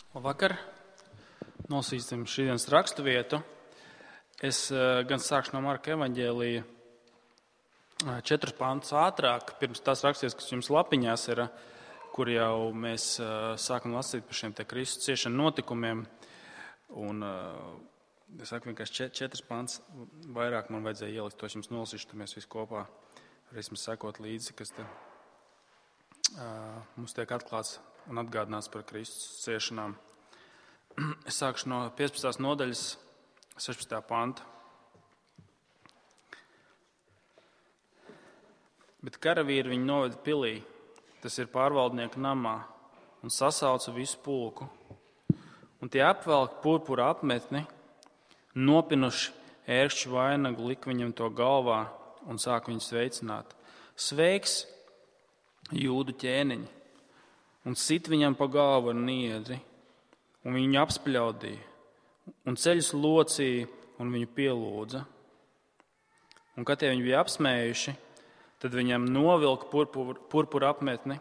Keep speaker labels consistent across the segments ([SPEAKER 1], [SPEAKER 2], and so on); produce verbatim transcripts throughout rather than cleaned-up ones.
[SPEAKER 1] Labvakar! Nosīsim šīdienas rakstu vietu. Es gan sākšu no Marka evaņģēlija četrus pantus ātrāk, pirms tās rakstīts, kas jums lapiņās ir, kur jau mēs sākam lasīt par šiem te Kristus ciešanu notikumiem. Un es saku vienkārši četrus pantus vairāk man vajadzēja ielikt, to es jums nolasīšu, tad mēs visi kopā varēsim sekot līdzi, kas te uh, mums tiek atklāts un atgādināts par Kristus ciešanām. Es sākšu no piecpadsmitās nodaļas, sešpadsmitā panta. Bet karavīri viņu noveda pilī, tas ir pārvaldnieka namā, un sasauca visu pulku. Un tie apvelk purpura apmetni, nopinuši ērkšķu vainagu, lika viņam to galvā un sāk viņu sveicināt. Sveiks, jūdu ķēniņi, un sit viņam pa galvu ar niedri, un viņu apspļaudīja, un ceļus locīja, un viņu pielūdza. Un, kad tie viņi bija apsmējuši, tad viņam novilka purpura, purpura apmetni,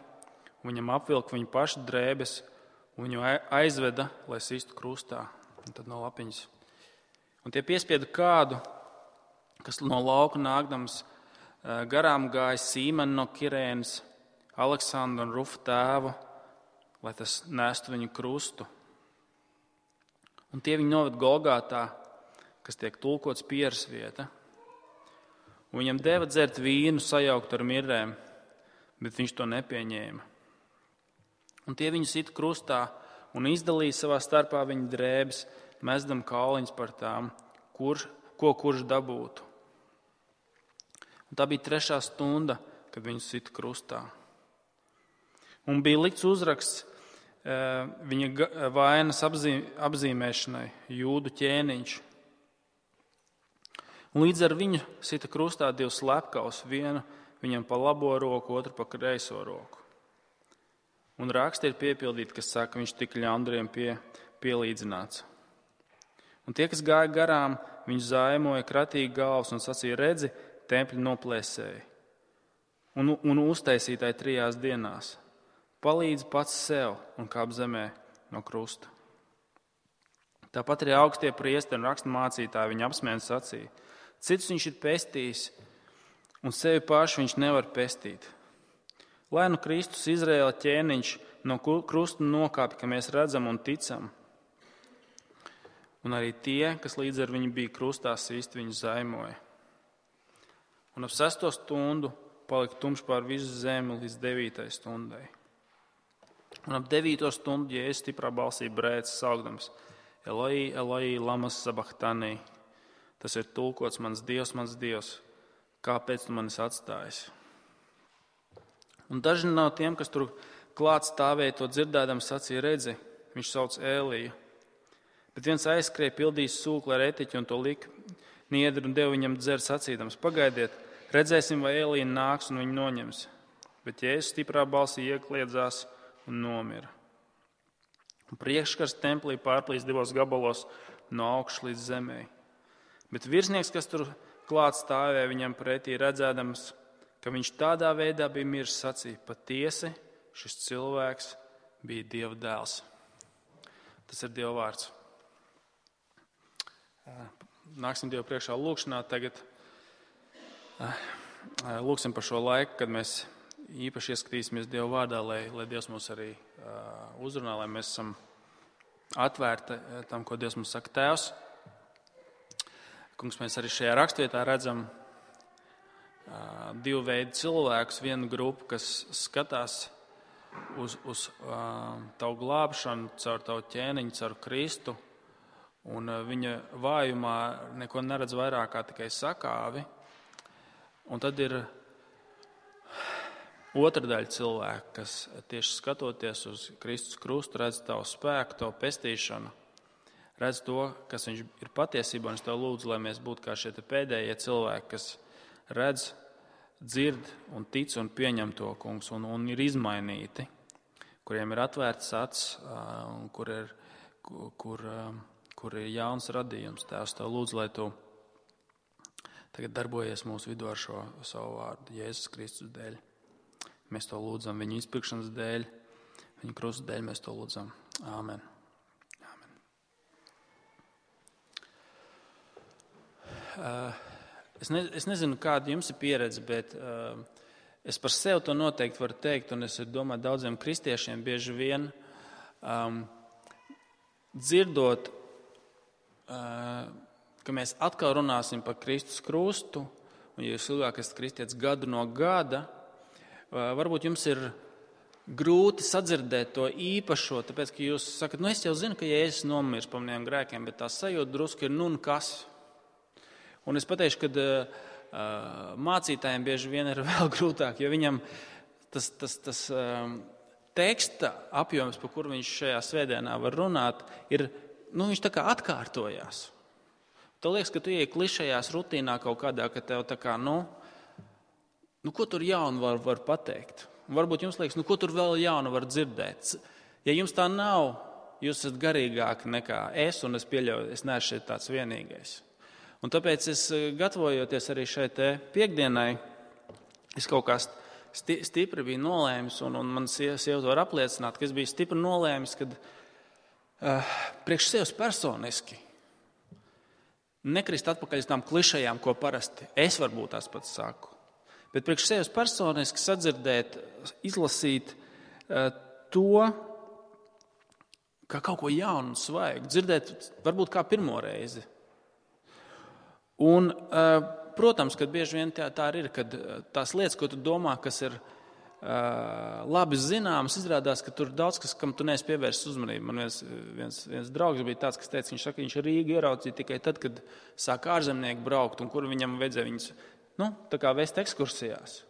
[SPEAKER 1] un viņam apvilka viņu pašu drēbes, un viņu aizveda, lai sistu krustā. Un tad no lapiņas. Un tie piespieda kādu, kas no lauka nākdams garām gāja Sīmenu no Kirēnas, Aleksandru un Rufu tēvu, lai tas nestu viņu krustu. Un tie viņu noved Golgātā, kas tiek tulkots pieres vieta. Un viņam deva dzert vīnu sajaukt ar mirrēm, bet viņš to nepieņēma. Un tie viņu sita krustā un izdalīja savā starpā viņa drēbes, mesdam kauliņus par tām, kurš, ko kurš dabūtu. Un tā bija trešā stunda, kad viņu sita krustā. Un bija likts uzraksts viņa vainas apzīmēšanai, jūdu ķēniņš. Un līdz ar viņu sita krustā divus slepkavus, vienu viņam pa labo roku, otru pa kreiso roku. Un raksti ir piepildīti, kas saka, viņš tika ļaundariem pie, pielīdzināts. Un tie, kas gāja garām, viņu zaimoja kratīgi galvas un sacīja, redzi, tempļi noplēsēji un, un uztaisītāji trijās dienās. Palīdz pats sev un kāp zemē no krusta. Tāpat arī augstie priesteri un raksturmācītāji viņa apsmēja sacīja, citus viņš ir pestījis un sevi pašu viņš nevar pestīt. Lai nu Kristus Izraēla ķēniņš no krusta nokāpj, ka mēs redzam un ticam. Un arī tie, kas līdz ar viņu bija krustā sīsti, viņu zaimoja. Un ap sesto stundu palika tumšs pār visu zemi līdz devītai stundai. Un ap devīto stundu Jēzus stiprā balsī brēc saukdams Eloi, Eloi, lamas sabachthani. Tas ir tulkots mans Dievs, mans Dievs, kāpēc tu manis atstājis? Un daži no tiem, kas tur klāt stāvēja, to dzirdēdam sacīja, redzi, viņš sauc Ēliju. Bet viens aizskrēja, pildījis sūkli ar etiķu un to lika niedri un deva viņam dzert sacīdams, pagaidiet, redzēsim, vai Ēlija nāks un viņu noņems. Bet Jēzus stiprā balsī iekliedzās un nomira. Un priekškars templī pārplīs divos gabalos no augšas līdz zemē. Bet virsnieks, kas tur klāt stāvēja viņam pretī, redzēdams, ka viņš tādā veidā bija miris, sacīja, patiesi šis cilvēks bija Dieva dēls. Tas ir Dieva vārds. Nāksim Dievu priekšā lūkšanā tagad. Lūksim par šo laiku, kad mēs īpaši ieskatīsimies Dieva vārdā, lai, lai Dievs mūs arī uh, uzrunā, lai mēs esam atvērti tam, ko Dievs mums saka. Tēvs, kungs, mēs arī šajā rakstvietā redzam uh, divu veidu cilvēkus, vienu grupu, kas skatās uz, uz uh, tavu glābšanu, caur tavu ķēniņu, caur Kristu, un uh, viņa vājumā neko neredz vairāk kā tikai sakāvi. Un tad ir otra daļa cilvēku, kas tieši skatoties uz Kristus krustu, redz tavu spēku, tavu pestīšanu, redz to, kas viņš ir patiesībā, un es tev lūdzu, lai mēs būtu kā šie pēdējie cilvēki, kas redz, dzird un tic un pieņem to, kungs, un, un ir izmainīti, kuriem ir atvērts acs, un kur ir, kur, kur ir jauns radījums. Tēvs, tev lūdzu, lai tu tagad darbojies mūsu vidū ar šo savu vārdu, Jēzus Kristus dēļ. Mēs to lūdzam viņa izpirkšanas dēļ, viņa krusta dēļ mēs to lūdzam. Āmen. es, ne, es nezinu, kāda jums ir pieredze, bet es par sevi to noteikti varu teikt, un es domāju, daudziem kristiešiem bieži vien um, dzirdot, uh, ka mēs atkal runāsim par Kristus krustu, un ja jūs ilgāk esat kristietis gadu no gada, uh, varbūt jums ir grūti sadzirdēt to īpašo, tāpēc, ka jūs sakat, nu es jau zinu, ka Jēzus nomirs par maniem grēkiem, bet tā sajūta drusku ir nu un kas. Un es pateikšu, ka uh, mācītājiem bieži vien ir vēl grūtāk, jo viņam tas, tas, tas um, teksta apjoms, par kuru viņš šajā svētdienā var runāt, ir, nu viņš tā kā atkārtojās. Tu liekas, ka tu ieej klišajās rutīnā kaut kādā, ka tev tā kā, nu, nu ko tur jaunu var, var pateikt? Un varbūt jums liekas, nu ko tur vēl jaunu var dzirdēt? Ja jums tā nav, jūs esat garīgāki nekā es, un es pieļauju, es neesmu šeit tāds vienīgais. Un tāpēc es, gatavojoties arī šai te piekdienai, es kaut kā sti, stipri biju nolēmis, un, un man sieva var apliecināt, ka es biju stipri nolēmis, kad uh, priekš sevis personiski nekrist atpakaļ uz tām klišajām, ko parasti es varbūt tās pats saku. Bet priekš sevis personiski sadzirdēt, izlasīt uh, to, kā kaut ko jaunu un svaigu, dzirdēt varbūt kā pirmo reizi. Un, uh, protams, kad bieži vien tā, tā ir, kad tās lietas, ko tu domā, kas ir uh, labi zināmas, izrādās, ka tur daudz kas, kam tu neesi pievērsis uzmanību. Man viens, viens, viens draugs bija tāds, kas teica, viņš saka, viņš Rīgu ieraudzīja tikai tad, kad sāk ārzemnieki braukt, un kur viņam vajadzēja viņus nu, tā kā vēst ekskursijās.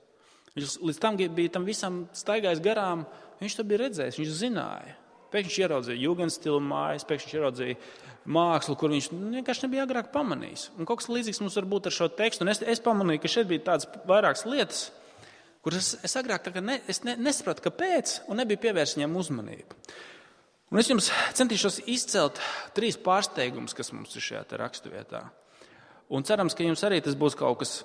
[SPEAKER 1] Viņš līdz tam bija tam visam staigājis garām, viņš to bija redzējis, viņš zināja. Pēkšņi viņš ieraudzīja jugendstilu mājas, pēkšņi viņš ieraudzīja mākslu, kur viņš vienkārši nebija agrāk pamanījis. Un kaut kas līdzīgs mums var būt ar šo tekstu. Un es, es pamanīju, ka šeit bija tādas vairākas lietas, kuras es, es agrāk tā kā ne, es ne, nesapratu, kāpēc, un nebija pievērst viņam uzmanību. Un es jums centīšos izcelt trīs pārsteigumus, kas mums ir šajā te raksturvietā. Un cerams, ka jums arī tas būs kaut kas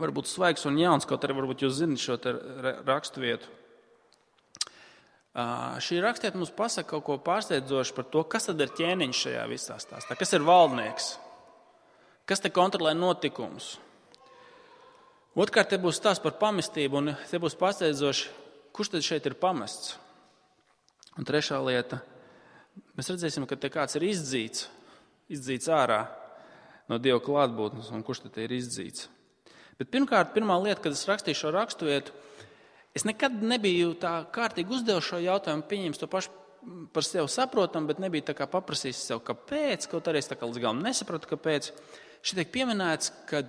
[SPEAKER 1] varbūt svaigs un jauns, kaut arī varbūt jūs zināt šo te raksturvietu. Uh, šī rakstiet mums pasaka kaut ko pārsteidzošu par to, kas tad ir ķēniņš šajā visā stāstā, kas ir valdnieks, kas te kontrolē notikumus. Otrkārt, te būs stāsts par pamestību, un te būs pārsteidzoši, kurš tad šeit ir pamests. Un trešā lieta, mēs redzēsim, ka te kāds ir izdzīts, izdzīts ārā no Dieva klātbūtnes, un kurš tad ir izdzīts. Bet pirmkārt, pirmā lieta, kad es rakstīju šo raksturvietu, es nekad nebiju tā kārtīgi uzdevu šo jautājumu, pieņems to pašu par sevi saprotam, bet nebija tā kā paprasījis sev, kāpēc, kaut arī es tā kā līdz galam nesapratu, kāpēc. Šeit tiek pieminēts, ka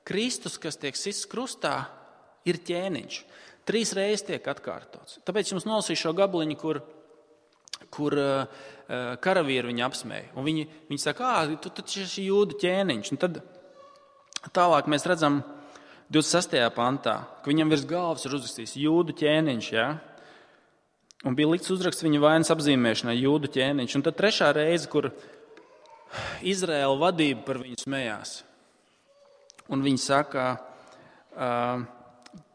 [SPEAKER 1] Kristus, kas tiek sists krustā, ir ķēniņš. Trīs reizes tiek atkārtots. Tāpēc jums nolasīšu šo gabaliņu, kur, kur uh, karavīri viņu apsmēja. Un viņi, viņi saka, ā, tu taču esi jūdu ķēniņš. Un tad tālāk mēs redzam divdesmit sestajā pantā, ka viņam virs galvas ir uzrakstīts jūdu ķēniņš, ja? Un bija likts uzraksts viņa vainas apzīmēšanai jūdu ķēniņš. Un tad trešā reize, kur Izraēla vadība par viņu smējās. Un viņi saka uh,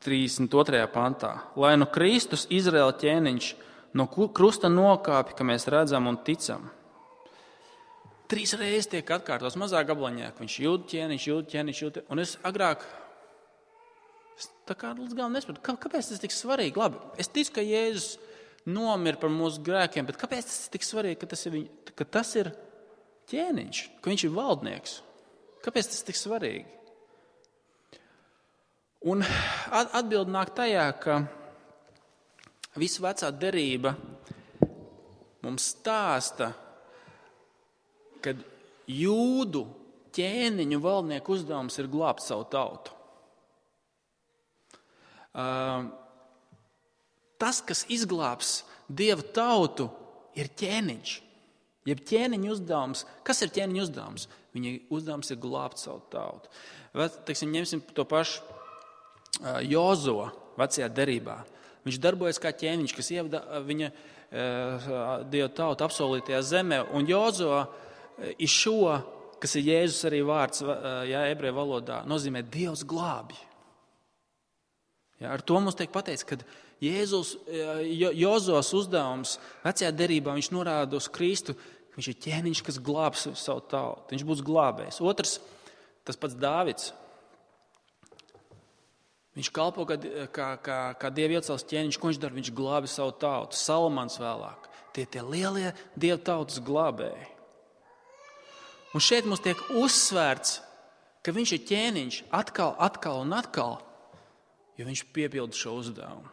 [SPEAKER 1] trīsdesmit otrajā pantā, lai nu Kristus Izraēla ķēniņš no krusta nokāpj, ka mēs redzam un ticam. Trīs reizes tiek atkārtots mazā gabaliņā, ka viņš jūdu ķēniņš, jūdu ķēniņš, jūdu ķēniņš. Un es agrāk tā kā līdz galam nesapratu, kāpēc tas ir tik svarīgi? Labi, es ticu, ka Jēzus nomira par mūsu grēkiem, bet kāpēc tas ir tik svarīgi, ka tas ir, viņ, ka tas ir ķēniņš, ka viņš ir valdnieks? Kāpēc tas ir tik svarīgi? Un atbildi nāk tajā, ka visa vecā derība mums stāsta, kad jūdu ķēniņu valdnieku uzdevums ir glābt savu tautu. Uh, tas, kas izglābs Dieva tautu, ir ķēniņš. Jeb ķēniņa uzdevums. Kas ir ķēniņa uzdevums? Viņa uzdevums ir glābt savu tautu. Vai, teiksim, ņemsim to pašu uh, Jozo vecajā derībā. Viņš darbojas kā ķēniņš, kas ievada viņa uh, Dieva tautu apsolītajā zemē. Un Jozo uh, ir šo, kas ir Jēzus arī vārds, uh, jā, ebreju valodā, nozīmē Dievs glābj. Ja, ar to mums tiek pateikts, ka Jēzus, jo, Jozos uzdevums vecajā derībā, viņš norāda uz Kristu, ka viņš ir ķēniņš, kas glābs savu tautu. Viņš būs glābējs. Otrs, tas pats Dāvids. Viņš kalpo kā, kā, kā, kā Dieva iecels ķēniņš, ko viņš dara? Viņš glābi savu tautu. Salamans vēlāk. Tie tie lielie Dieva tautas glābēji. Un šeit mums tiek uzsvērts, ka viņš ir ķēniņš atkal, atkal un atkal, jo viņš piepilda šo uzdevumu.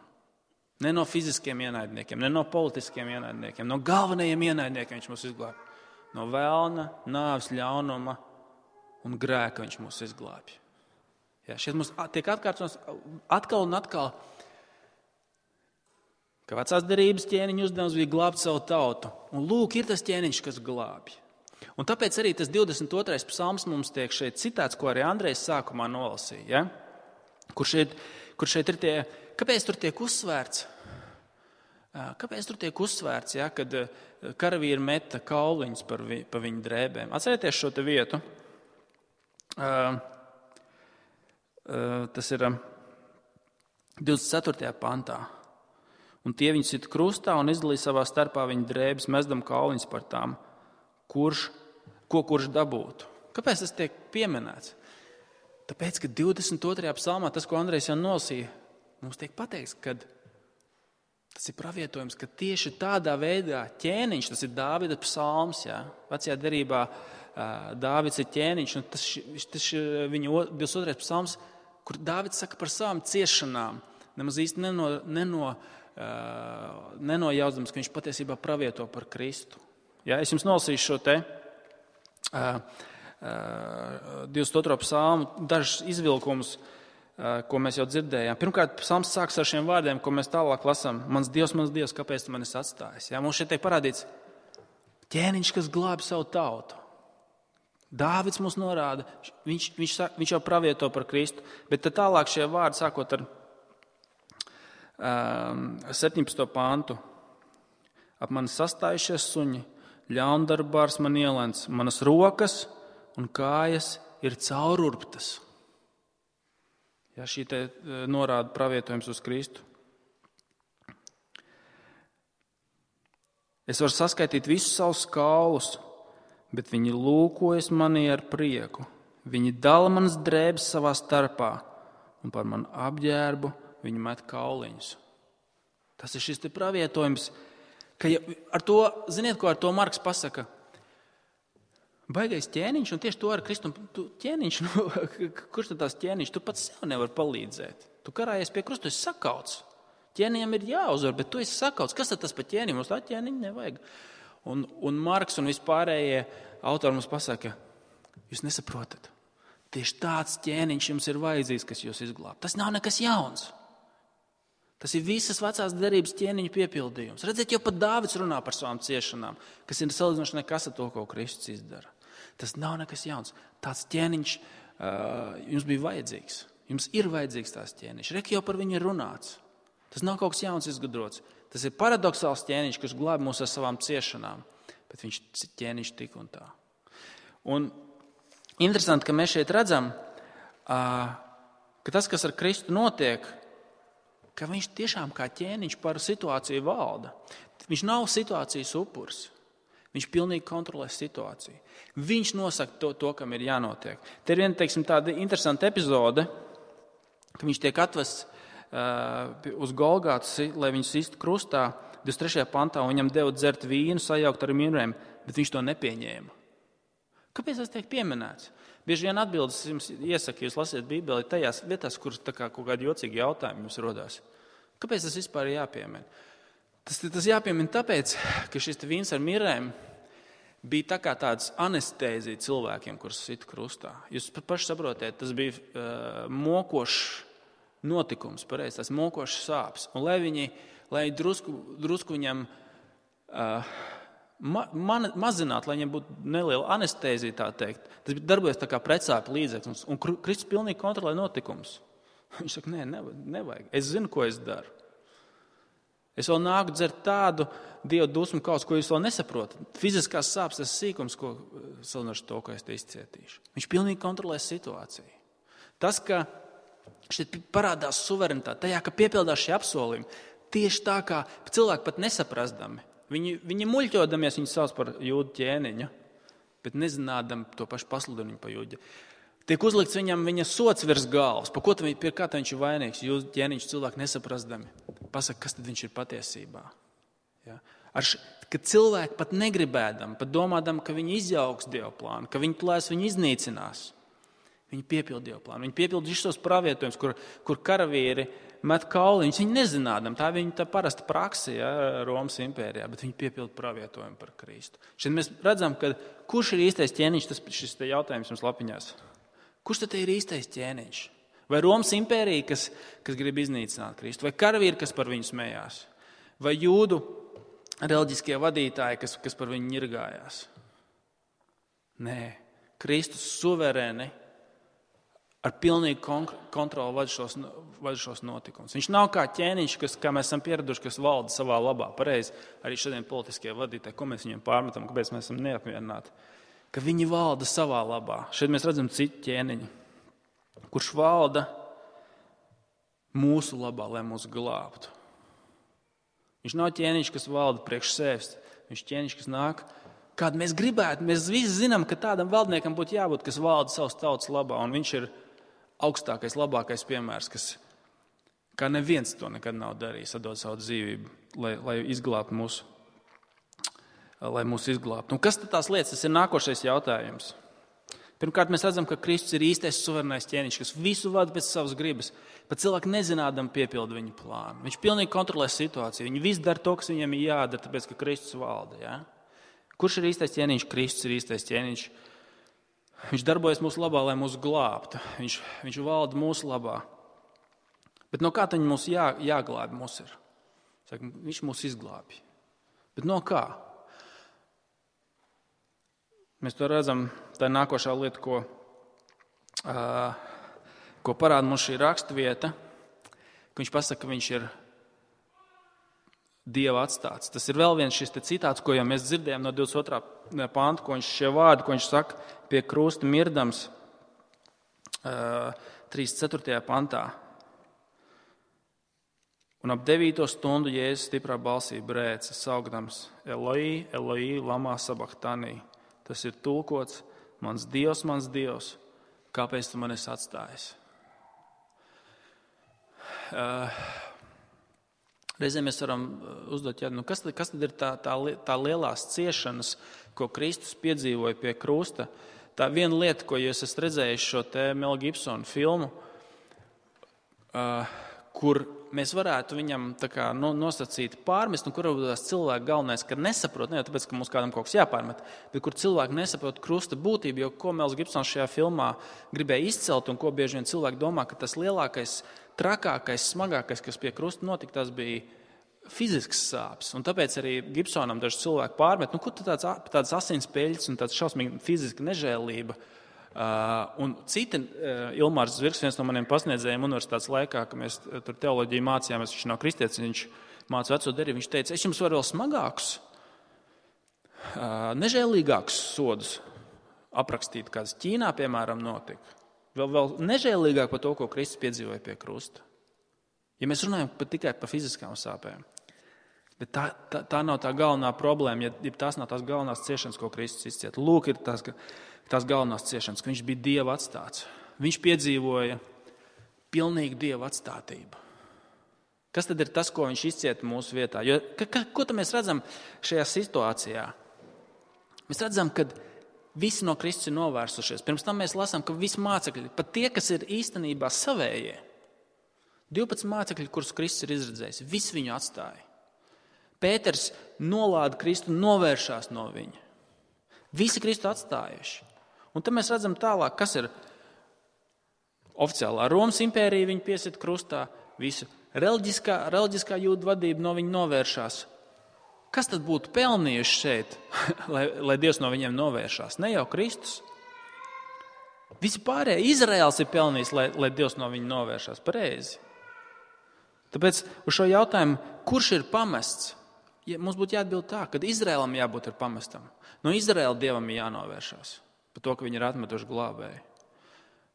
[SPEAKER 1] Ne no fiziskiem ienaidniekiem, ne no politiskiem ienaidniekiem, no galvenajiem ienaidniekiem viņš mūs izglābj. No vēlna, nāves, ļaunuma un grēka viņš mūs izglābj. Jā, šeit mums tiek atkārtots atkal un atkal, ka vecās derības ķēniņa uzdevums bija glābt savu tautu. Un lūk, ir tas ķēniņš, kas glābj. Un tāpēc arī tas divdesmit otrais psalms mums tiek šeit citāts, ko arī Andrejs sākumā nolasīja. Ja? Kur, šeit, kur šeit ir tie, kāpēc tur tiek uzsvērts? Kāpēc tur tiek uzsvērts, ja, kad karavīri meta kauliņus par, vi, par viņu drēbēm? Atcerieties šo te vietu. Uh, uh, tas ir divdesmit ceturtajā pantā. Un tie viņu sit krustā un izdalīja savā starpā viņu drēbes, mesdam kauliņus par tām, kurš, ko kurš dabūtu. Kāpēc tas tiek pieminēts? Tāpēc, ka divdesmit otrajā psalmā, tas, ko Andrejs jau nolasīja, mums tiek pateikts, ka tas ir pravietojums, ka tieši tādā veidā ķēniņš, tas ir Dāvida psalms, jā, vecajā derībā Dāvids ir ķēniņš, un tas, tas ir viņa divdesmit otrais psalms, kur Dāvids saka par savām ciešanām, nemaz īsti neno, neno, nenojausdams, ka viņš patiesībā pravieto par Kristu. Jā, es jums nolasīšu šo te divdesmit otro psalmu, dažus izvilkumus, ko mēs jau dzirdējām. Pirmkārt, psalms sāks ar šiem vārdiem, ko mēs tālāk lasām. Mans Dievs, mans Dievs, kāpēc tu mani esi atstājis? Jā, mums šeit tiek parādīts ķēniņš, kas glābi savu tautu. Dāvids mums norāda, viņš, viņš, viņš jau pravieto par Kristu, bet tad tālāk šie vārdi sākot ar um, septiņpadsmito pantu. Ap mani sastājušies suņi, ļaundarbārs man ielens, manas rokas un kājas ir caururptas. Ja, šī te norāda pravietojums uz Kristu. Es varu saskaitīt visus savus kaulus, bet viņi lūkojas manī ar prieku. Viņi dala manas drēbes savā starpā, un par manu apģērbu viņi met kauliņus. Tas ir šis te pravietojums, ka ja, ar to, ziniet, ko ar to Marks pasaka? Baigais ķēniņš, un tieši to ar Kristu, tu ķēniņš, nu, kurš tad tās ķēniņš, tu pats sev nevar palīdzēt. Tu karājies pie krusta, tu esi sakauts. Ķēniņam ir jāuzvar, bet tu esi sakauts. Kas tad tas par ķēniņu? Mums tā ķēniņa nevajag. Un, un Marks un vispārējie autori mums pasaka, jūs nesaprotat. Tieši tāds ķēniņš jums ir vajadzīgs, kas jūs izglāb. Tas nav nekas jauns. Tas ir visas vecās derības ķēniņu piepildījums. Redziet, jau pat Dāvids runā par savām ciešanām, kas ir salīdzinoši nekas ar to, ko Kristus izdara. Tas nav nekas jauns. Tāds ķēniņš uh, jums bija vajadzīgs. Jums ir vajadzīgs tās ķēniņš. Rek jau par viņu ir runāts. Tas nav kaut kas jauns izgudrots. Tas ir paradoxāls ķēniņš, kas glāb mūs ar savām ciešanām. Bet viņš ķēniņš tik un tā. Un interesanti, ka mēs šeit redzam, uh, ka tas, kas ar Kristu notiek, ka viņš tiešām kā ķēniņš par situāciju valda. Viņš nav situācijas upuris. Viņš pilnīgi kontrolē situāciju. Viņš nosaka to, to kam ir jānotiek. Te ir viena, teiksim, tāda interesanta epizode, ka viņš tiek atvests uh, uz Golgātas, lai viņu sistu krustā, divdesmit trešajā pantā, un viņam deva dzert vīnu, sajaukt ar minrēm, bet viņš to nepieņēma. Kāpēc tas tiek pieminēts? Bieži vien atbildes jums iesaka, jūs lasiet Bībeli tajās vietās, kuras tā kā kaut kādi jocīgi jautājumi jums rodās. Kāpēc tas vispār ir jāpiemina? Tas, tas jāpiemina tāpēc, ka šis vīns ar mirēm bija tā kā tāds anestēzija cilvēkiem, kurus sit krustā. Jūs paši saprotiet, tas bija uh, mokošs notikums, pareizi, tas mokošs sāpes. Un lai viņi, lai drusku, drusku viņam uh, ma, man, mazināt, lai viņam būtu neliela anestēzija, tā teikt, tas darbojas tā kā pretsāpju līdzeklis. Un Kristus pilnīgi kontrolē notikumus. Viņš saka, nē, nevajag. Es zinu, ko es daru. Es vēl nāku dzert tādu Dieva dusmu kaut ko jūs vēl nesaprotat. Fiziskās sāpes tas sīkums, ko salinoši to, ko es te izcietīšu. Viņš pilnīgi kontrolē situāciju. Tas, ka šeit parādās suverenitāte, tajā, ka piepildās šie apsolījumi, tieši tā kā cilvēki pat nesaprastami. Viņi, viņi muļķodamies, viņi sauc par jūdu ķēniņu, bet nezinādam to pašu pasludinu par jūdu. Tiek uzlikts viņam viņa sots virs galvas. Pa ko viņš, pie kā viņš ir vainīgs? Jūs, ķēniņš, cilvēki nesaprastami. Pasaka, kas tad viņš ir patiesībā? Ja? Ar š... Kad cilvēki pat negribēdam, pat domādam, ka viņi izjauks Dieva plānu, ka viņi plēs viņu iznīcinās, viņi piepilda Dieva plānu. Viņi piepilda visus tos pravietojumus, kur, kur karavīri met kauliņus. Viņi nezinādam, tā ir viņa tā parasta praksa, ja, Romas impērijā, bet viņi piepilda pravietojumu par Kristu. Šeit mēs redzam, ka kurš ir īstais ķēniņš, tas šis te jautājums jums lapiņās. Kurš tad ir īstais ķēniņš? Vai Romas impērija, kas, kas grib iznīcināt Kristu? Vai karavīri, kas par viņu smējās? Vai jūdu reliģiskie vadītāji, kas, kas par viņu ņirgājās? Nē, Kristus suverēni ar pilnīgu kontroli vada šos, vada šos notikumus. Viņš nav kā ķēniņš, kas, kā mēs esam pieraduši, kas valda savā labā. Pareizi, arī šodien politiskie vadītāji, ko mēs viņiem pārmetam, kāpēc mēs esam neapmierināti. Ka viņi valda savā labā. Šeit mēs redzam citu ķēniņu, kurš valda mūsu labā, lai mūs glābtu. Viņš nav ķēniņš, kas valda priekš sevis. Viņš ķēniņš, kas nāk, kādu mēs gribētu. Mēs visi zinām, ka tādam valdniekam būtu jābūt, kas valda savas tautas labā. Un viņš ir augstākais, labākais piemērs, kas kā neviens to nekad nav darījis, atdot savu dzīvību, lai, lai izglābtu mūsu. lai mūs izglābtu. Un kas tad tās lietas? Tas ir nākošais jautājums. Pirmkārt, mēs redzam, ka Kristus ir īstais suverenais ķēniņš, kas visu vada pēc savas gribas. Pat cilvēki nezinādam piepilda viņa plānu. Viņš pilnīgi kontrolē situāciju. Viņi visi dara to, kas viņiem ir jādara, tāpēc, ka Kristus valda. Ja? Kurš ir īstais ķēniņš? Kristus ir īstais ķēniņš. Viņš darbojas mūsu labā, lai mūs glābtu. Viņš, viņš valda mūsu labā. Bet no kā tad mūs jā, jāglābi mūs ir? Saka, viņš mūs izglābi. Bet no kā? Mēs to redzam, tā ir nākošā lieta, ko, uh, ko parāda mums šī rakstvieta, ka viņš pasaka, ka viņš ir Dieva atstāts. Tas ir vēl viens šis te citāts, ko jau mēs dzirdējām no divdesmit otrā panta, ko viņš šie vārdi, ko viņš saka pie krusta mirdams uh, trīsdesmit ceturtajā pantā. Un ap devīto stundu Jēzus stiprā balsī brēca, saukdams Eloi, Eloi, lamā sabachtanī. Tas ir tulkots, mans Dievs, mans Dievs, kāpēc tu man esi atstājis? Uh, reizēm mēs varam uzdot, ja, nu kas, tad, kas tad ir tā, tā, tā lielās ciešanas, ko Kristus piedzīvoja pie krusta? Tā viena lieta, ko jūs esat redzējuši šo te Mel Gibsona filmu, uh, kur mēs varētu viņam tā kā nosacīt pārmest, un kur tās cilvēki galvenais, ka nesaprot, ne jau tāpēc, ka mums kādam kaut kas jāpārmet, bet kur cilvēki nesaprot krusta būtību, jo ko Mels Gibsons šajā filmā gribēja izcelt, un ko bieži vien cilvēki domā, ka tas lielākais, trakākais, smagākais, kas pie krusta notika, tas bija fizisks sāpes. Un tāpēc arī Gibsonam daži cilvēki pārmet, nu kur tāds, tāds asinspeļķis un tāds šausmīgi fiziska nežēlība. Uh, un citi, uh, Ilmārs Zvirgs, viens no maniem pasniedzējiem universitātes laikā, ka mēs tur teoloģiju mācījāmies, viņš nav kristietis, viņš māca veco derību, viņš teica, es jums varu vēl smagākus, uh, nežēlīgākus sodus aprakstīt, kāds Ķīnā, piemēram, notika. Vēl, vēl nežēlīgāk par to, ko Kristus piedzīvoja pie krusta. Ja mēs runājam pat tikai par fiziskām sāpēm. Bet tā, tā, tā nav tā galvenā problēma, ja, ja tās nav tās galvenās ciešanas, ko Kristus izcieta. Lūk, ir tās, tās galvenās ciešanas, ka viņš bija Dieva atstāts. Viņš piedzīvoja pilnīgu Dieva atstātību. Kas tad ir tas, ko viņš izcieta mūsu vietā? Jo, ka, ka, ko tad mēs redzam šajā situācijā? Mēs redzam, ka visi no Kristus ir novērsušies. Pirms tam mēs lasām, ka visi mācekļi, pat tie, kas ir īstenībā savējie, divpadsmit mācekļi, kurus Kristus ir izredzējis, visi viņu atstāja. Pēters nolāda Kristu un novēršās no viņa. Visi Kristu atstājuši. Un tad mēs redzam tālāk, kas ir oficiālā Romas impērija, viņa piesita krustā, visu reliģiskā, reliģiskā jūdu vadība no viņa novēršās. Kas tad būtu pelnījuši šeit, lai, lai Dievs no viņiem novēršās? Ne jau Kristus. Visi pārējie, Izraēls ir pelnījis, lai, lai Dievs no viņa novēršās. Pareizi. Tāpēc uz šo jautājumu, kurš ir pamests? Ja mums būtu jāatbild tā, ka Izraēlam jābūt ir pamestam. No Izraēla Dievam ir jānovēršās par to, ka viņi ir atmetuši glābēju.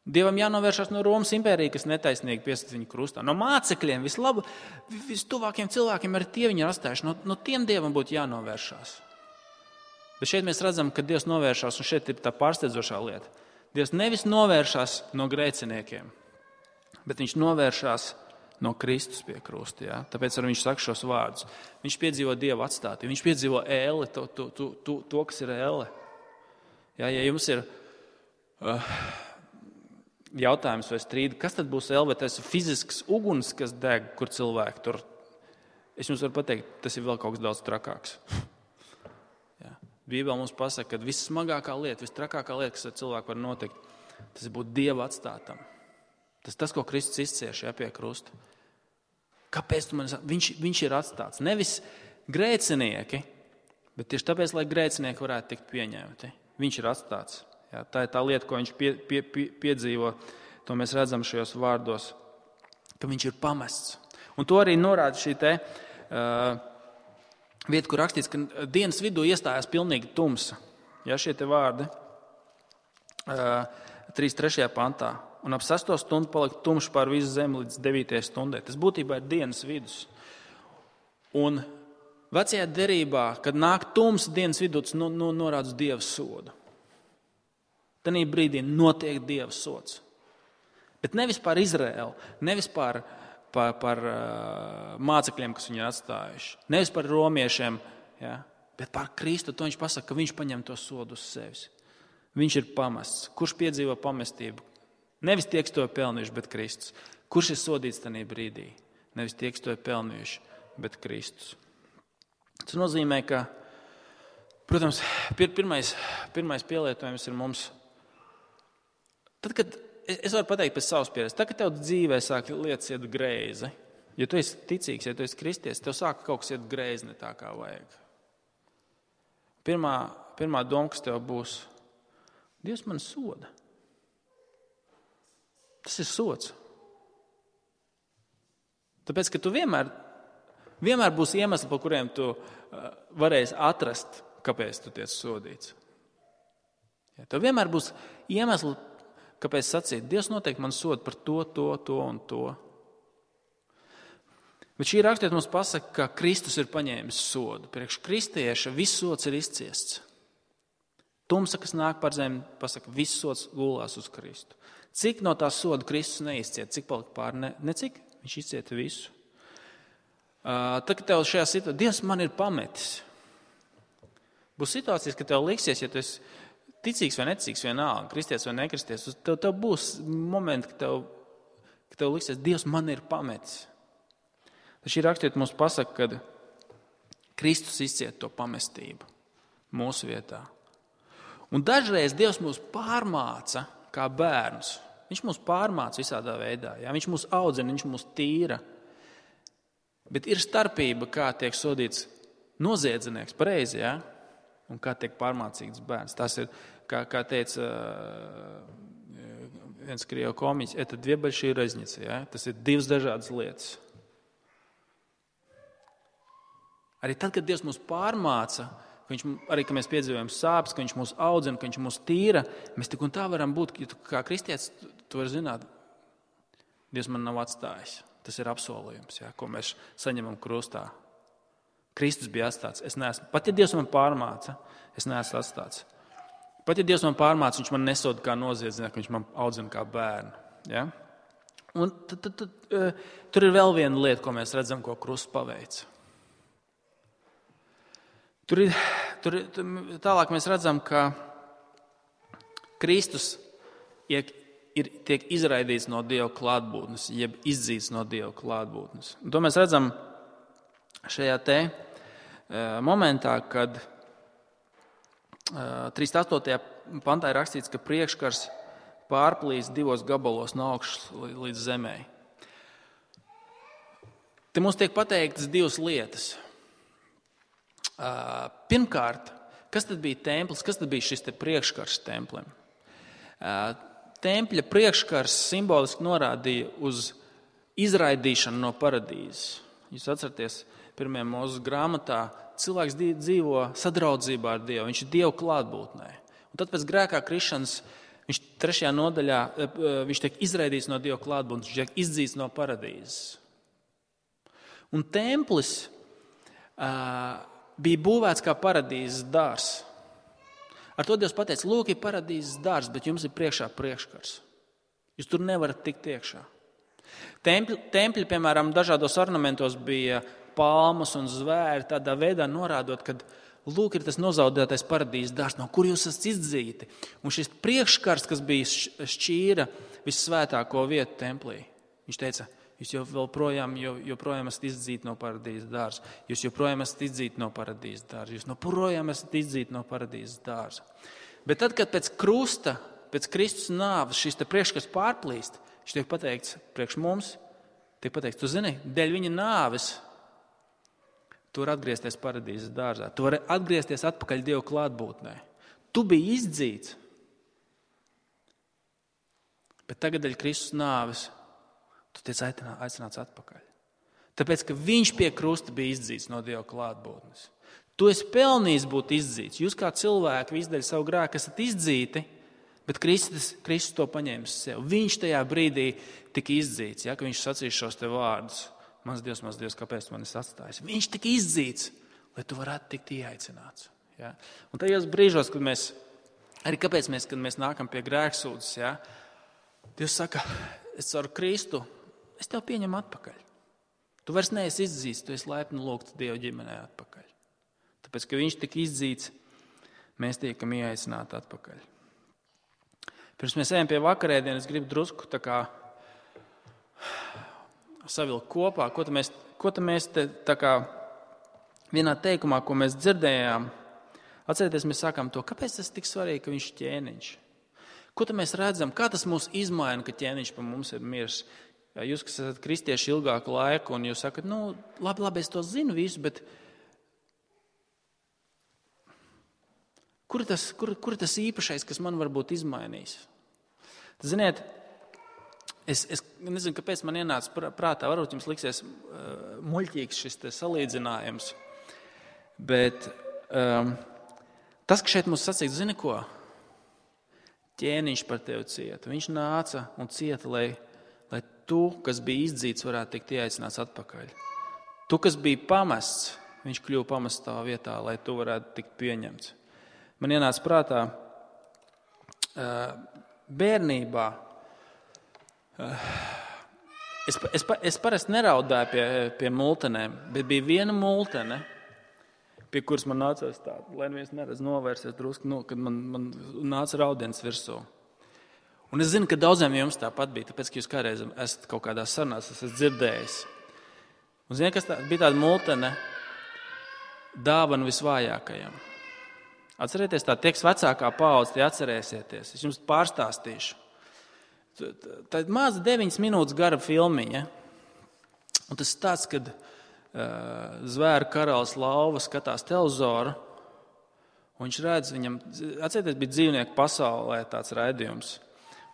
[SPEAKER 1] Dievam jānovēršās no Romas impērija, kas netaisnīgi piesita viņu krustā. No mācekļiem, vislabu, vistuvākiem cilvēkiem arī tie viņi ir atstājuši. No, no tiem Dievam būtu jānovēršās. Bet šeit mēs redzam, ka Dievs novēršās, un šeit ir tā pārsteidzošā lieta. Dievs nevis novēršās no grēciniekiem, bet viņš novēršās no Kristus pie krusta. Ja? Tāpēc arī viņš saka šos vārdus. Viņš piedzīvo Dievu atstātību, viņš piedzīvo ēli, to, to, to, to, to kas ir ēle. Ja, ja jums ir uh, jautājums vai strīdi, kas tad būs ēle, vai tas ir fizisks uguns, kas deg, kur cilvēki tur, es jums varu pateikt, tas ir vēl kaut kas daudz trakāks. Ja. Bībele mums pasaka, ka vissmagākā lieta, vistrakākā lieta, kas ar cilvēku var notikt, tas ir būt Dieva atstātam. Tas tas, ko Kristus izcieš, ja, pie krusta. Kāpēc tu man saki? Viņš, viņš ir atstāts. Nevis grēcinieki, bet tieši tāpēc, lai grēcinieki varētu tikt pieņemti. Viņš ir atstāts. Ja, tā ir tā lieta, ko viņš pie, pie, pie, piedzīvo. To mēs redzam šajos vārdos, ka viņš ir pamests. Un to arī norāda šī te uh, vieta, kur rakstīts, ka dienas vidū iestājās pilnīgi tumsa. Ja, šie te vārdi uh, trīs trešajā pantā. Un ap sesto stundu palika tumšs pār visu zemi līdz devītajai stundai. Tas būtībā ir dienas vidus. Un vecajā derībā, kad nāk tumsa dienas vidū, tas no, no, norāda uz Dieva sodu. Tanī brīdī notiek Dieva sods. Bet nevis par Izraēlu, nevis par, par, par uh, mācekļiem, kas viņu ir atstājuši, nevis par romiešiem, ja, bet par Kristu. To viņš pasaka, ka viņš paņem to sodu uz sevis. Viņš ir pamests. Kurš piedzīvo pamestību? Nevis tie, kas to ir pelnījuši, bet Kristus. Kurš ir sodīts tajā brīdī? Nevis tie, kas to ir pelnījuši, bet Kristus. Tas nozīmē, ka, protams, pirmais, pirmais pielietojums ir mums. Tad, kad es varu pateikt pēc savas pieredzes, tad, kad tev dzīvē sāk lietas iet greizi, ja tu esi ticīgs, ja tu esi kristietis, tev sāk kaut kas iet greizi ne tā, kā vajag. Pirmā, pirmā doma, kas tev būs, Dievs man soda. Tas ir sods. Tāpēc, ka tu vienmēr, vienmēr būs iemesli, par kuriem tu uh, varēsi atrast, kāpēc tu tiec sodīts. Ja, tev vienmēr būs iemesli, kāpēc sacīt, Dievs noteikti man soda par to, to, to un to. Bet šī rakstiet mums pasaka, ka Kristus ir paņēmis sodu. Priekš kristieša viss sods ir izciests. Tumsa, kas nāk par zemi, pasaka, viss sods gulās uz Kristu. Cik no tā soda Kristus neizcieta, cik palika pār, ne, ne cik, viņš izcieta visu. Uh, tad, kad tev šajā situācijā, Dievs man ir pametis. Būs situācijas, ka tev liksies, ja tu esi ticīgs vai neticīgs vienalga, kristietis vai nekristies, tev, tev būs momenti, ka tev, ka tev liksies, Dievs man ir pametis. Tad šī rakstiet mums pasaka, ka Kristus izcieta to pamestību mūsu vietā. Un dažreiz Dievs mūs pārmāca kā bērnus. Viņš mūs pārmāca visādā veidā. Ja? Viņš mūs audzina, viņš mūs tīra. Bet ir starpība, kā tiek sodīts noziedznieks, pareizi, ja? Un kā tiek pārmācīts bērns. Tas ir, kā, kā teica viens krievu komiķis, это две большие разницы. Ja? Tas ir divas dažādas lietas. Arī tad, kad Dievs mūs pārmāca, Viņš, arī, ka mēs piedzīvojam sāpes, ka viņš mūs audzina, ka viņš mūs tīra, mēs tik un tā varam būt, ja tu kā kristietis, tu vari zināt, Dievs man nav atstājis. Tas ir apsolījums, ja, ko mēs saņemam krustā. Kristus bija atstāts. Es neesmu, pat ja Dievs man pārmāca, es neesmu atstāts. Pat ja Dievs man pārmāca, viņš man nesoda kā noziedznieks, viņš man audzina kā bērnu. Ja? Un tad, tad, tad, uh, tur ir vēl viena lieta, ko mēs redzam, ko krusts paveic. Tur ir, tur ir, tālāk mēs redzam, ka Kristus ir, ir, tiek izraidīts no Dieva klātbūtnes, jeb izdzīts no Dieva klātbūtnes. Un to mēs redzam šajā te e, momentā, kad e, trīsdesmit astotajā pantā ir rakstīts, ka priekškars pārplīs divos gabalos no augšas līdz zemē. Te mums tiek pateiktas divas lietas. Uh, pirmkārt, kas tad bija templis, kas tad bija šis te priekškars templiem? Uh, tempļa priekškars simboliski norādīja uz izraidīšanu no paradīzes. Jūs atceraties, pirmajā Mūzes grāmatā cilvēks dzīvo sadraudzībā ar Dievu, viņš ir Dieva klātbūtnē. Un tad pēc grēkā krišanas viņš trešajā nodaļā viņš tiek izraidīts no Dieva klātbūtnes, viņš tiek izdzīts no paradīzes. Un templis uh, bija būvēts kā paradīzes dārs. Ar to Dievs pateica, lūk, ir paradīzes dārzs, bet jums ir priekšā priekškars. Jūs tur nevarat tikt iekšā. Tempļi, tempļi, piemēram, dažādos ornamentos bija palmas un zvēri, tādā veidā norādot, ka lūk, ir tas nozaudētais paradīzes dārzs, no kur jūs esat izdzīti. Un šis priekškars, kas bija šķīra vissvētāko vietu templī, viņš teica, jūs jau joprojām, joprojām esat izdzīti no paradīzes dārza. Jūs joprojām esat izdzīti no paradīzes dārza. Jūs joprojām esat izdzīti no paradīzes dārza. Bet tad, kad pēc krusta, pēc Kristus nāves šis te priekškars pārplīst, viņš tiek pateikts priekš mums, tiek pateikts, tu zini, dēļ viņa nāves tu vari atgriezties paradīzes dārzā. Tu vari atgriezties atpakaļ Dievu klātbūtnē. Tu biji izdzīts. Bet tagad dēļ Kristus nāves tu tiec aicināts atpakaļ. Tāpēc, ka viņš pie krusta bija izdzīts no Dieva klātbūtnes. Tu esi pelnījis būt izdzīts. Jūs kā cilvēki visdēļ savu grēku esat izdzīti, bet Kristus, Kristus to paņēmis sev. Viņš tajā brīdī tika izdzīts, ja, ka viņš sacīs šos te vārdus. Mans Dievs, mans Dievs, kāpēc man esi atstājis? Viņš tika izdzīts, lai tu varētu tikt ieaicināts. Ja? Un tajos brīžos, kad mēs, arī kāpēc mēs, kad mēs nākam pie grēksūdzes, ja, Dievs saka, es caur Kristu, es tev pieņemu atpakaļ. Tu vairs neesi izdzīts, tu esi laipni lūgts Dieva ģimenē atpakaļ. Tāpēc, ka viņš tika izdzīts, mēs tiekam ieaicināti atpakaļ. Pirms mēs ejam pie vakarēdienas, es gribu drusku tā kā savilkt kopā, ko tā mēs, ko tā mēs te, tā kā vienā teikumā, ko mēs dzirdējām. Atcerieties, mēs sākām to, kāpēc tas tik svarīgi, ka viņš ir ķēniņš. Ko tā mēs redzam, kā tas mūs izmaina, ka ķēniņš pa mums ir mirs. Ja jūs, kas esat kristieši ilgāku laiku, un jūs sakat, nu, labi, labi, es to zinu visu, bet kur ir tas, kur, kur ir tas īpašais, kas man varbūt izmainīs? Ziniet, Es, es nezinu, kāpēc man ienāca prātā, varbūt jums liksies uh, muļķīgs šis te salīdzinājums, bet um, tas, ka šeit mums sacīts, zini ko? Ķēniņš par tevi cieta. Viņš nāca un cieta, lai, lai tu, kas bija izdzīts, varētu tikt ieaicināts atpakaļ. Tu, kas bija pamests, viņš kļuva pamests tavā vietā, lai tu varētu tikt pieņemts. Man ienāca prātā uh, bērnībā. Es, es, es parasti neraudāju pie, pie multenēm, bet bija viena multene, pie kuras man nācās tā, lai neviens neredz novērsies drusku, no, kad man, man nāca raudiens virsū. Un es zinu, ka daudziem jums tāpat bija, tāpēc, ka jūs kādreiz esat kaut kādā sarunās, esat dzirdējis. Un zinu, kas tā, bija tāda multene dāvana visvājākajam. Atcerieties tā, tieks vecākā paudze, tie atcerēsieties. Es jums pārstāstīšu. Tā ir maza deviņas minūtes gara filmiņa. Un tas tāds, kad uh, zvēru karalis Lauva skatās televizoru, un viņš redz, viņam, atcerieties, bija dzīvnieku pasaulē tāds raidījums.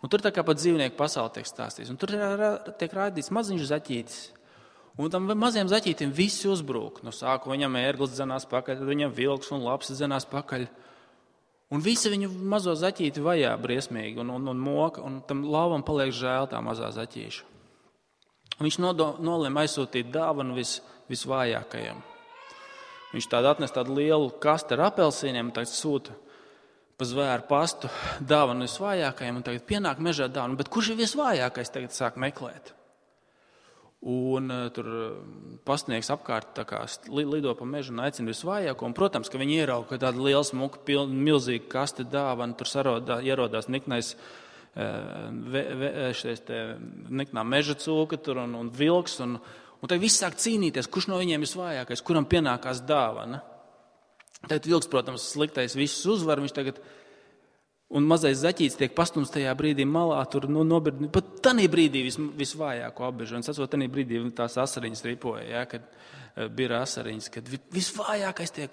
[SPEAKER 1] Un tur tā kā pat dzīvnieku pasauli tiek stāstīts. Un tur tiek raidīts maziņš zaķītis. Un tam maziem zaķītim visi uzbrūk. No sāku viņam ērglis dzenās pakaļ, tad viņam vilks un lapsis dzenās pakaļ. Un visi viņu mazo zaķīti vajā briesmīgi un, un, un moka, un tam lauvam paliek žēl tā mazā zaķīša. Viņš nolēma aizsūtīt dāvanu vis, visvājākajam. Viņš tādu atnes tādu lielu kastu ar apelsīniem, un tagad sūta pa zvēru pastu dāvanu visvājākajam, un tagad pienāk mežā dāvanu. Bet kurš ir visvājākais, tagad sāk meklēt? Un uh, tur pastnieks apkārt tā kā lido pa mežu un aicina visvājāko. Un, protams, ka viņi ierauga, ka tāda liela smuka, pilna, milzīga kaste dāvana, tur sarodā, ierodās niknais, uh, ve, ve, šies te, niknā meža cūka tur un, un vilks. Un, un tad viss sāk cīnīties, kurš no viņiem visvājākais, kuram pienākās dāvana. Tagad vilks, protams, sliktais visus uzvar, viņš tagad... Un mazais zaķītis tiek pastumts tajā brīdī malā, tur nu, nobird, pat tanī brīdī vis, visvājāko apbežu. Un sacot, tanī brīdī tās asariņas ripoja, ja, kad uh, bija asariņas, kad visvājākais tiek.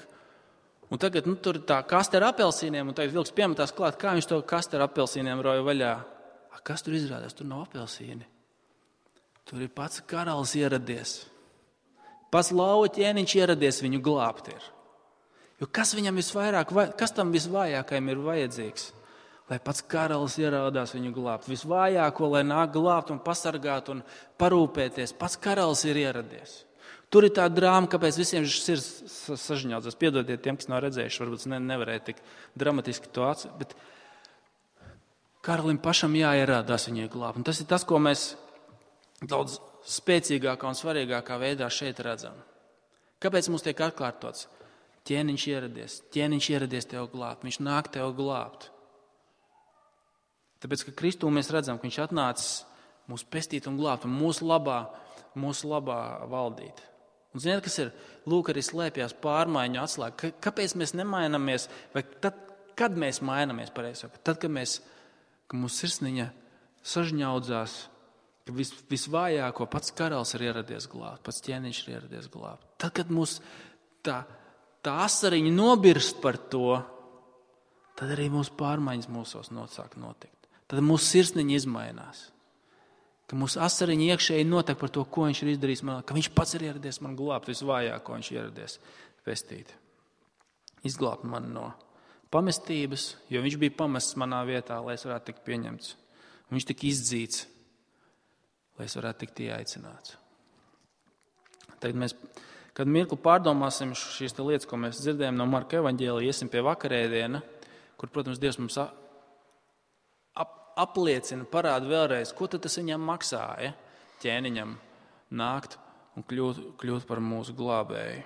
[SPEAKER 1] Un tagad nu, tur tā kaste ar apelsīniem, un tagad vilks piemetās klāt, kā viņš to kaste ar apelsīniem roja vaļā. A, kas tur izrādās? Tur nav apelsīni. Tur ir pats karalis ieradies. Pats lauva ķēniņš ieradies viņu glābt ir. Jo kas viņam visvairāk, kas tam visvājākajam ir vajadzīgs? Lai pats karalis ierādās viņu glābt. Visvājāko, lai nāk glābt un pasargāt un parūpēties. Pats karalis ir ieradies. Tur ir tā drāma, kāpēc visiem sirds sažņaudzās. Piedodiet tiem, kas nav redzējuši, varbūt ne, nevarēja tik dramatiski to atcīt, bet karalim pašam jāierādās viņai glābt. Un tas ir tas, ko mēs daudz spēcīgākā un svarīgākā veidā šeit redzam. Kāpēc mums tiek atkārtots? Ķēniņš ieradies, ķēniņš ieradies tev glābt, viņš nāk tev glābt. Tāpēc, ka Kristū mēs redzam, ka viņš atnācis mūs pestīt un glābt un mūsu labā, mūsu labā valdīt. Un ziniet, kas ir? Lūk, arī slēpjās pārmaiņu atslēga. Kāpēc mēs nemainamies? Vai tad, kad mēs mainamies pareizi? Tad, kad mēs, ka mūsu sirsniņa sažņaudzās, ka vis, visvājāko pats karalis ir ieradies glābt, pats ķēniņš ir ieradies glābt. Tad, kad mūs tā, tā asariņa nobirst par to, tad arī mūsu pārmaiņas mūsos sāk notikt. Tad mūsu sirsniņa izmainās. Ka mūsu asariņa iekšēji notiek par to, ko viņš ir izdarījis man, ka viņš pats ir ieradies man glābt, visvājāko viņš ir ieradies pestīt. Izglābt mani no pamestības, jo viņš bija pamests manā vietā, lai es varētu tikt pieņemts. Un viņš tika izdzīts, lai es varētu tikt ieaicināts. Tagad mēs, kad mirkli pārdomāsim šīs lietas, ko mēs dzirdējam no Marka evaņģēlija, iesim pie vakarēdiena, kur, protams, Dievs mums ap, apliecina, parāda vēlreiz, ko tad tas viņam maksāja, ķēniņam nākt un kļūt, kļūt par mūsu glābēju.